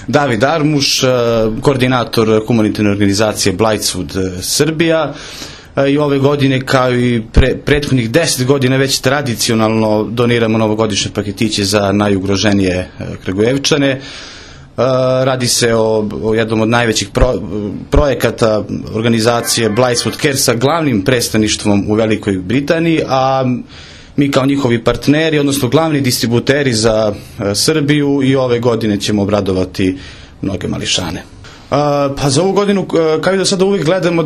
David Armuš, koordinator humanitarne organizacije Blightswood Srbija. I ove godine, kao i prethodnih 10 godina, već tradicionalno doniramo novogodišnje paketiće za najugroženije Kragujevčane. Radi se o jednom od najvećih projekata organizacije Blightswood Care sa glavnim predstavništvom u Velikoj Britaniji, a mi kao njihovi partneri, odnosno glavni distributeri za Srbiju, i ove godine ćemo obradovati mnoge mališane. Pa za ovu godinu, kao i do sada, uvijek gledamo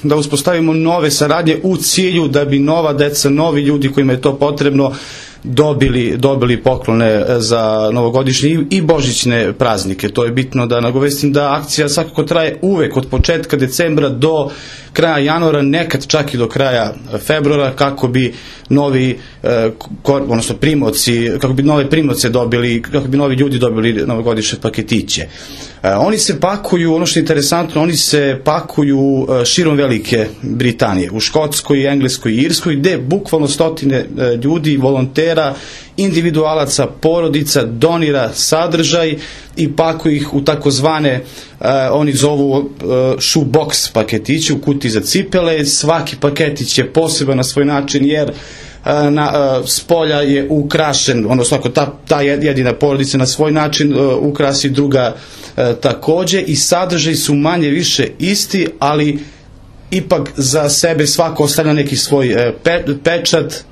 da uspostavimo nove saradnje u cilju da bi nova deca, novi ljudi kojima je to potrebno, dobili poklone za novogodišnje i božićne praznike. To je bitno da nagovestim da akcija svakako traje uvek od početka decembra do kraja januara, nekad čak i do kraja februara, kako bi novi, odnosno primoci, kako bi nove primoce dobili, kako bi novi ljudi dobili novogodišnje paketiće. Oni se pakuju, ono što je interesantno, oni se pakuju širom Velike Britanije, u Škotskoj, Engleskoj i Irskoj, gde bukvalno stotine ljudi, volontera, individualaca, porodica donira sadržaj i pakuju ih u takozvane, oni zovu shoebox paketiće, u kutiji za cipele. Svaki paketić je poseban na svoj način, jer s polja je ukrašen, odnosno ako ta jedina porodica na svoj način ukrasi, druga takođe, i sadržaj su manje više isti, ali ipak za sebe svako ostavlja neki svoj pečat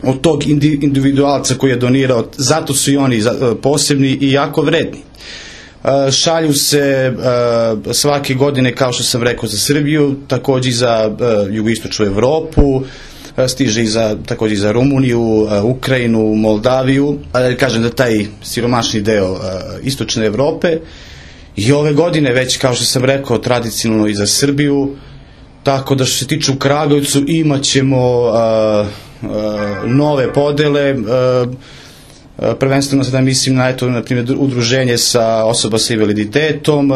od tog individualca koji je donirao. Zato su i oni posebni i jako vredni. Šalju se svake godine, kao što sam rekao, za Srbiju, takođe i za jugoistočnu Evropu, stiže takođe i za Rumuniju, Ukrajinu, Moldaviju, ali kažem da taj siromašni deo istočne Evrope. I ove godine već, kao što sam rekao, tradicionalno i za Srbiju, tako da što se tiče u Kragujevcu imat ćemo nove podele, prvenstveno sada mislim na, eto, na primjer, udruženje sa osoba sa invaliditetom,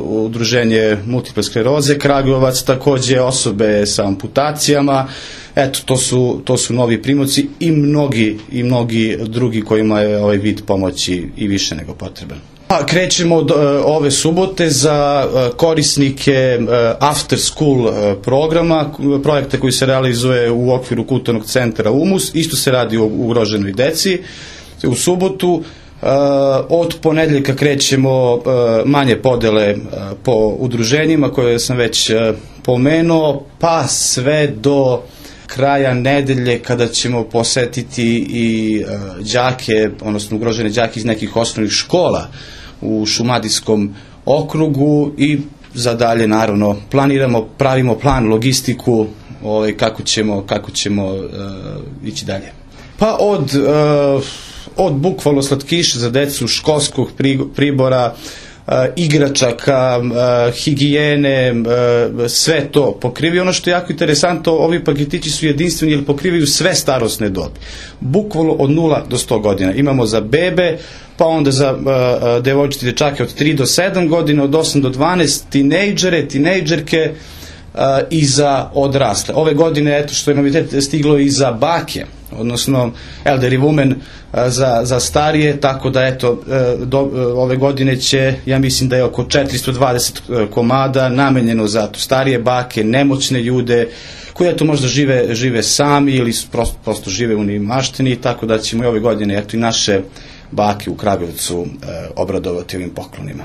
udruženje multiple skleroze Kragujevac, takođe osobe sa amputacijama. Eto, to su novi primoci i mnogi drugi kojima je ovaj vid pomoći i više nego potreban. Krećemo od ove subote za korisnike after school programa, projekta koji se realizuje u okviru kulturnog centra UMUS. Isto se radi o ugroženoj deci. U subotu od ponedeljka krećemo manje podele po udruženjima koje sam već pomenuo, pa sve do kraja nedelje, kada ćemo posetiti i đake, odnosno ugrožene đake iz nekih osnovnih škola u Šumadijskom okrugu, i za dalje naravno pravimo plan, logistiku, kako ćemo ići dalje. Pa od bukvalno slatkiša za decu, školskog pribora, igračaka, higijene, sve to pokrivaju. Ono što je jako interesantno, ovi paketići su jedinstveni jer pokrivaju sve starosne dobi. Bukvalno od 0 do 100 godina. Imamo za bebe, pa onda za devojčice, dečake od 3 do 7 godina, od 8 do 12, tinejdžere, tinejdžerke i za odrasle. Ove godine, eto što je novitet, stiglo i za bake, odnosno elderly women, za starije, tako da eto ove godine će, ja mislim da je oko 420 komada namenjeno za starije bake, nemoćne ljude koji eto možda žive sami ili prosto žive u neimaštini, tako da ćemo i ove godine eto i naše bake u Kragujevcu obradovati ovim poklonima.